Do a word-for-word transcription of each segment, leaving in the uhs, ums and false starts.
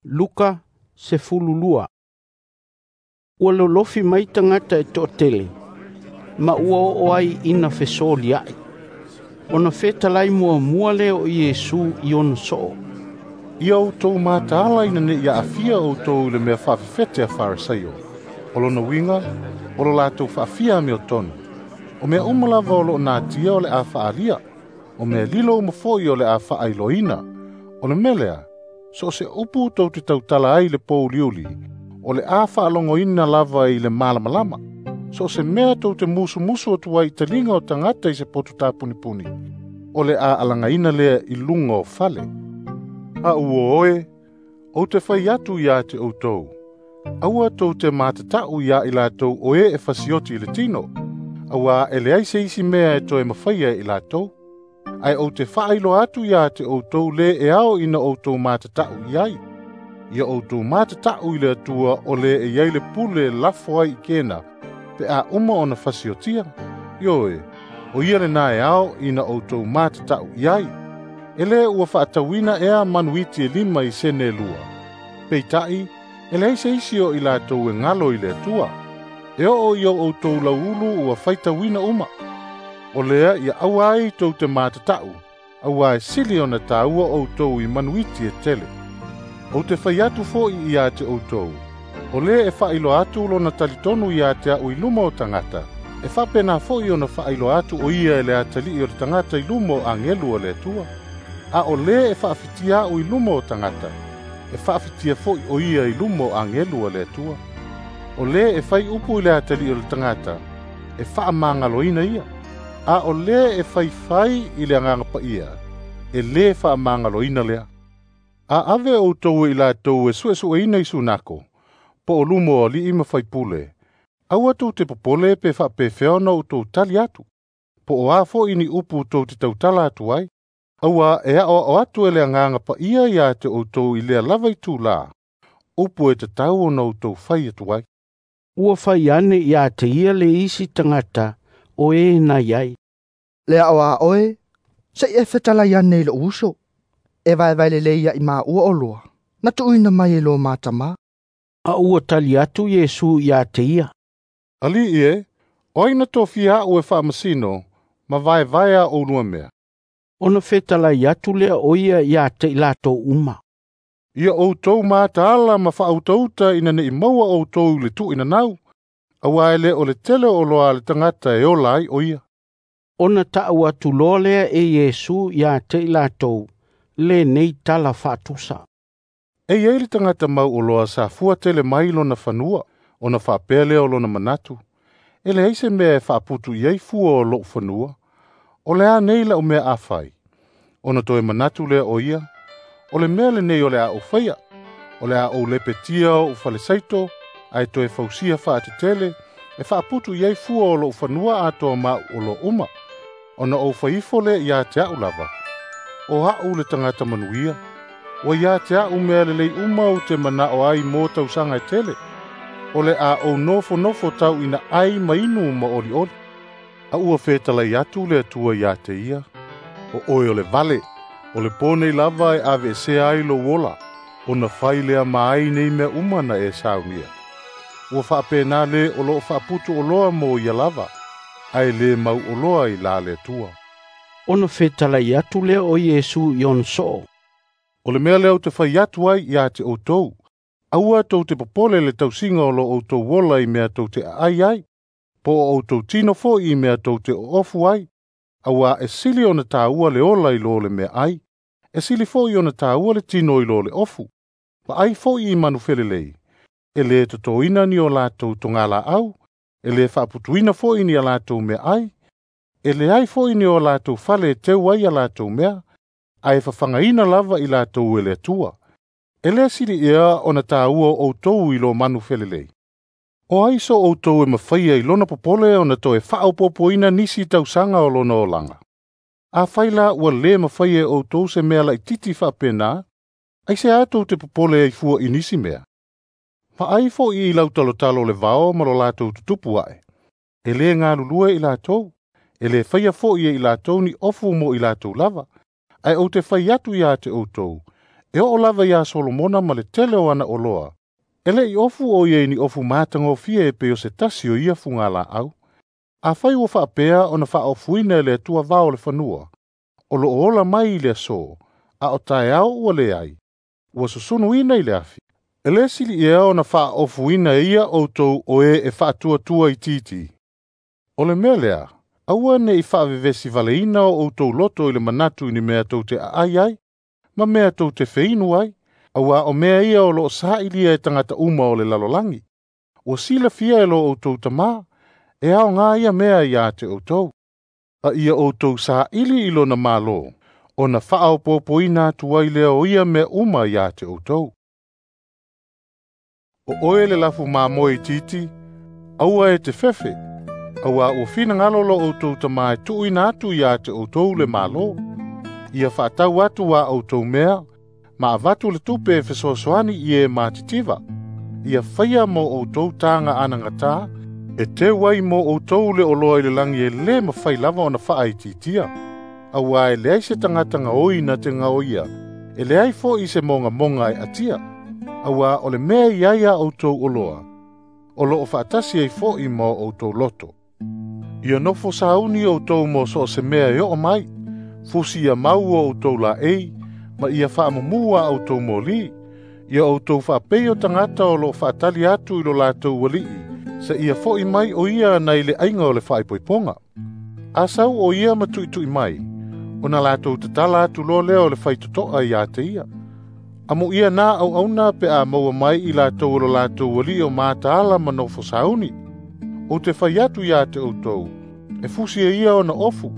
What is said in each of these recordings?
Luka sefululua. Ua lolofi mai tagata e to'atele, ma ua oo ai ina fesolia'i. Ona fetalai muamua lea o Iesu i ona so'o, "Ia outou mataala ina ne i aafia outou i le mea faafefete a Farisaio. O lona uiga, o lo latou faafia amiotonu. O mea uma lava o lo'o natia o le a faaalia. O mea lilo uma foi o le a faailoaina. O le mea lea, so o se upu tou te tautala ai i le pouliuli, o le a faalogoina lava i le malamalama. So o se mea tou te musumusu atu ai i taliga o tagata i se poto tapunipuni, o le a alagaina lea i luga o fale. A ua oe, ou te fai atu ia te outou, aua tou te matata'u iā i latou o e e fasioti i le tino, auā e leai se isi mea e toe mafaia e i latou. Ae ou te faailoa atu ia te outou lē e ao ina outou matata'u i ai. Ia outou matata'u i le Atua o lē e i ai le pule e lafo ai i kena, pe a uma ona fasiotia. Ioe, o ia lenā e ao ina outou matata'u i ai. E lē ua fa'atauina ea manuiti e lima i sene e lua? Peita'i, e leai se isi o i latou e galo i le Atua. E oo i o outou lauulu ua faitauina uma. O lea ia aua ai tou te matata'u, auā e sili ona tāua outou i manuiti e tele. Ou te fai atu fo'i ia te outou, o lē e faailoa atu lona talitonu ia te a'u i luma o tagata, e faapena fo'i ona faailoa atu o ia e le atalii o le tagata i luma o agelu o le Atua. A o lē e faafitia a'u i luma o tagata, e faafitia fo'i o ia i luma o agelu a le Atua. O lē e fai upu i le atalii o le tagata, e faamagaloina ia. A o lē e faifai i le Agaga Paia, e lē faamagaloina lea. A ave outou e i latou e suesueina i sunako, po o luma o alii ma faipule, aua tou te popole pe faapefea ona outou tali atu, po o a fo'i ni upu tou te tautala atu ai, auā e a'oa'o atu e le Agaga Paia iā te outou i lea lava itulā, upu e tatau ona outou fai atu ai." Ua fai ane ia te ia le isi tagata o e na iai, "Le a'oa'o e, se'i e fetalai ane i lo'u uso, e vaevae lelei a'i māua oloa na tuuina mai e lo ma tamā." A ua tali atu Iesu ia te ia, "Ali'i e, o ai na tofia a'u e faamasino ma vaevae a oulua mea?" Ona fetalai atu lea o ia ia te i latou uma, "Ia outou mataala ma faautauta ina ne'i maua outou i le tuuinanau, auā e lē o le tele o oloa a le tagata e ola ai o ia." Ona ta'u atu loa lea e Iesu ia te i latou lenei tala fa'atusa. E i ai le tagata mau oloa sa fua tele mai lona fanua, ona faapea lea o lona manatu, e leai se mea e faaputu i ai fua o lo'u fanua. O le a nei la'u mea a fai? Ona toe manatu lea o ia, o le mea lenei o le a ou faia. O le a ou lepetia o'u falesaito, ae toe fausia faatetele, e faaputu i ai fua o lo'u fanua atoa ma a'u oloa uma. Ona ou fai ifo lea ia te a'u lava, o a'u le tagata manuia, ua ia te a'u mea lelei uma ou te mana'o ai mo tausaga e tele. O le a ou nofonofo tau ina ai ma inu ma olioli. A ua fetalai atu le Atua ia te ia, o oe o le vale, o le pō nei lava e aveesea ai lou ola, ona fai lea ma ai nei mea uma na e saunia. Ua faapena lē o lo'o faaputu oloa mo ia lava, ae lē mau oloa i la le Atua." Ona fetalai atu lea o Iesu i ona so'o, "O le mea lea ou te fai atu ai ia te outou, aua tou te popole le tausiga o lo outou ola i mea tou te aai ai, po o outou tino fo'i i mea tou te oofu ai, auā e sili ona tāua le ola i lo le meaai, e sili fo'i ona tāua le tino i lo le ofu. Vaai fo'i i manufelelei, e lē totoina ni o latou togalā'au, e lē faaputuina fo'i ni a latou meaai, e leai fo'i ni o latou fale e teu ai a latou mea, ae fafagaina lava i latou e le Atua. E lē sili ea ona tāua outou i lo manufelelei? O ai so outou e mafaia i lona popole ona toe faaopopoina nisi tausaga o lona olaga? Afai la ua lē mafaia e outou se mea laitiiti faapena, aiseā tou te popole ai fua i nisi mea? Vaai fo'i i lautalotalo o le vao ma lo latou tutupu a'e. E lē galulue i latou, e lē faia fo'i e i latou ni ofu mo i latou lava. Ae ou te fai atu ia te outou, E oo lava iā Solomona ma le tele o ana oloa, e le'i ofu o ia i ni ofu matagofie e pei o se tasi o ia fugalaau. Afai ua faapea ona faaofuina e le Atua vao o le fanua, o loo ola mai i le aso, a o taeao ua leai, ua susunuina i le afi. E lē sili ea ona faaofuina e ia outou o e e faatuatua itiiti. O le mea lea, aua ne'i faavevesi valeina o outou loto i le manatu i ni mea tou te aai ai, ma mea tou te feinu ai, auā o mea ia o loo saʻilia e tagata uma o le lalolagi. Ua silafia e lo outou Tamā, e aogā ia mea iā te outou. A ia outou saʻili i lona Malo, ona faaopoopoina atu ai lea o ia mea uma iā te outou. O oe le lafu mamoe itiiti, aua e te fefe, auā ua finagalo lo outou Tamā e tuuina atu iā te outou le Malo. Ia faatau atu a outou mea, ma avatu le tupe e fesoasoani i e matitiva. Ia faia mo outou taga anagatā, e teu ai mo outou le oloa i le lagi e lē mafai lava ona faaitiitia. Auā e leai se tagata gaoi na te gaoia, e leai foʻi se mogamoga e atia. Auā o le mea i ai a outou oloa, o loo faatasi ai foʻi ma o outou loto. Ia nofo sauni outou mo so o se mea e oo mai, fusi ia mau o outou laei, ma ia faamumū a outou mōlī. Ia outou faapei o tagata o loo faatali atu i lo latou aliʻi, se ia foʻi mai o ia nai le aiga o le faaipoipoga. A sau o ia ma tuʻituʻi mai, ona latou tatala atu loa lea o le faitotoa iā te ia. Amuia nā auauna pe a maua mai i latou o lo latou aliʻi o mataala ma nofo sauni. Ou te fai atu iā te outou, e fusi e ia ona ofu,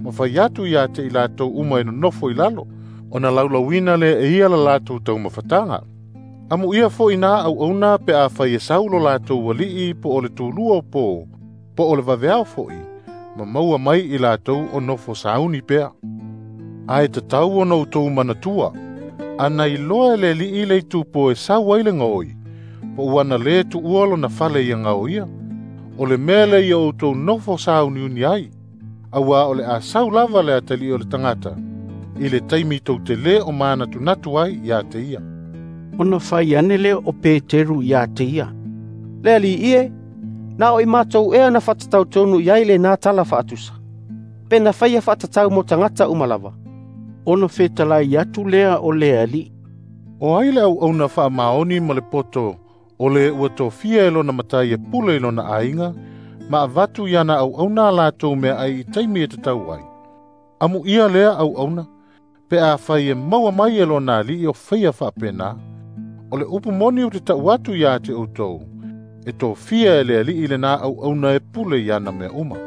ma fai atu iā te i latou uma e nonofo i lalo, ona laulauina lea e ia la latou taumafataga. Amuia foʻi nā auauna pe a fai e sau lo latou aliʻi po o le tulua o pō, po o le vaveao foʻi, ma maua mai i latou o nofo sauni pea. Ae tatau ona outou manatua, ana iloa e le aliʻi le itupo e sau ai le gaoi, po ua na lē tuua lona fale ia gaoia. O le mea lea ia outou nofo sauniuni ai, auā o le a sau lava le atalii o le tagata, i le taimi tou te lē o manatunatu ai iā te ia. Ona fai ane lea o Peteru iā te ia, Le Alii e, na o i matou ea na faatatau tonu i ai lenā tala faatusa, pe na faia faatatau mo tagata uma lava. Ona fetalai atu lea o le Alii, O ai le auauna faamaoni ma le poto, o le ua tofia e lona matai e pule i lona aiga, ma avatu iana auauna a latou meaai i taimi e tatau ai. Amuia lea auauna, pe afai e maua mai e lona aliʻi o faia faapenā. O le upu moni ou te taʻu atu iā te outou, e tofia e le aliʻi lenā auauna e pule i ana mea uma.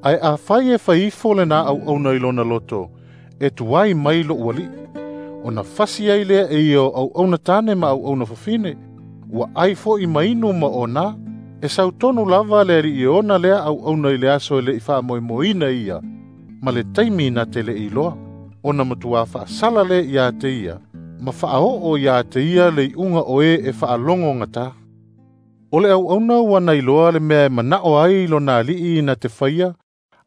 Ae afai e fai ifo lenā auauna i lona loto, e tuai mai loʻu aliʻi, ona fasi ai lea e ia o auauna tane ma auauna fafine, ua ai foʻi ma inu ma onā, e sautonu lava le aliʻi e ona lea auauna i le aso e leʻi faamoemoeina ia, ma le taimi na te leʻi iloa, ona matuā faasala lea iā te ia, ma faaoo iā te ia le iuga o e e faalogogatā. O le auauna ua na iloa le mea e manaʻo ai lona aliʻi na te faia,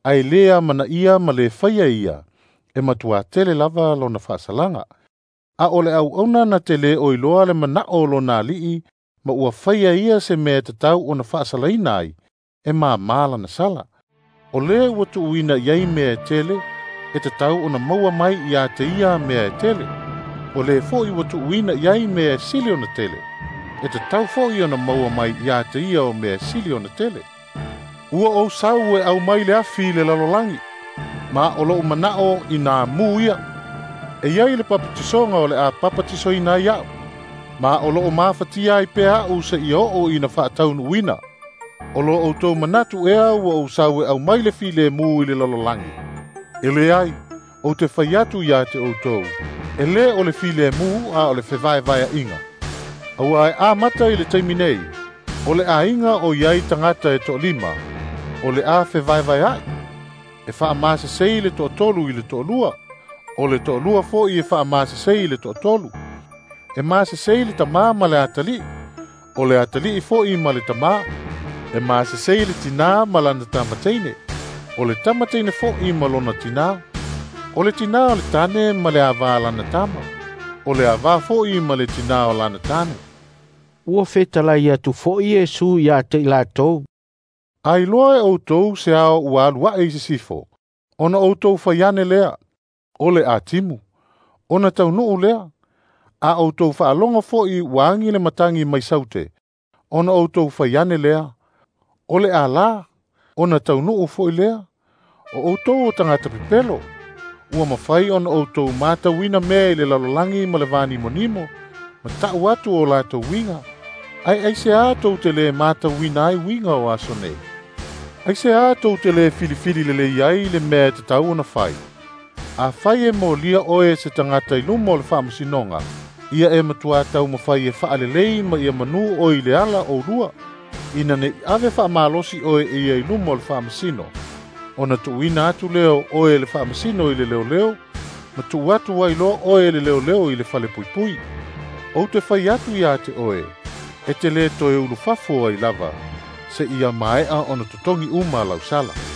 ae lē amanaia ma lē faia ia, e matuā tele lava lona faasalaga. A o le auauna na te lē o iloa le manaʻo o lona aliʻi, ma ua faia ia se mea e tatau ona faasalaina ai, e māmā lana sala. O lē ua tuuina i ai mea e tele, e tatau ona maua mai iā te ia mea e tele. O lē foʻi ua tuuina i ai mea e sili ona tele, e tatau foʻi ona maua mai iā te ia o mea e sili ona tele. Ua ou sau e aumai le afi i le lalolagi, ma o loʻu manaʻo inā mū ia. E iai le papatisoga o le a papatisoina ai aʻu, ma o loo mafatia ai pea aʻu seia oo ina faataunuuina. O lo outou manatu ea ua ou sau e aumai le filemu i le lalolagi. E leai, ou te fai atu iā te outou, e lē o le filemu a o le fevaevaeaʻiga. Auā e amata i le taimi nei, o le aiga o iai tagata e toalima, o le a fevaevaeaʻi. E faamasesei le toatolu i le toalua, o le toalua foʻi e faamasesei i le toatolu. E masesei le tamā ma le atalii, o le atalii foʻi ma le tamā. E masesei le tinā ma lana tamateine, o le tamateine foʻi ma lona tinā. O le tinā o le tane ma le avā lana tama. O le avā fo'i ma le tinā o lana tane. Ua fetalai atu fo'i Iesu ia te i latou. A iloa e outou se ao ua alu aʻe i sisifo, ona outou fai ane lea, o le atimu, ona taunuu lea. A outou faalogo fo'i ua agi le matagi mai saute, ona outou fai ane lea, o le alā, ona taunuu fo'i lea. O outou o tagata pepelo, ua mafai ona outou matauina mea i le lalolagi ma le vanimonimo, ma ta'u atu o latou uiga. Ae aiseā tou te lē matauina ai uiga o aso nei? Aiseā tou te lē filifili lelei ai le mea e tatau ona fai? Afai e molia oe e se tagata i luma o le faamasinoga, ia e matuā taumafai e faalelei ma ia manū oe i le ala oulua, ina neʻi ave faamalosi oe e ia i luma o le faamasino, ona tuuina atu lea o oe e le faamasino i le leoleo, ma tuu atu ai loa oe e le leoleo i le falepuipui. Ou te fai atu iā te oe, e te lē toe ulufafo ai lava, seia maea ona totogi uma lau sala.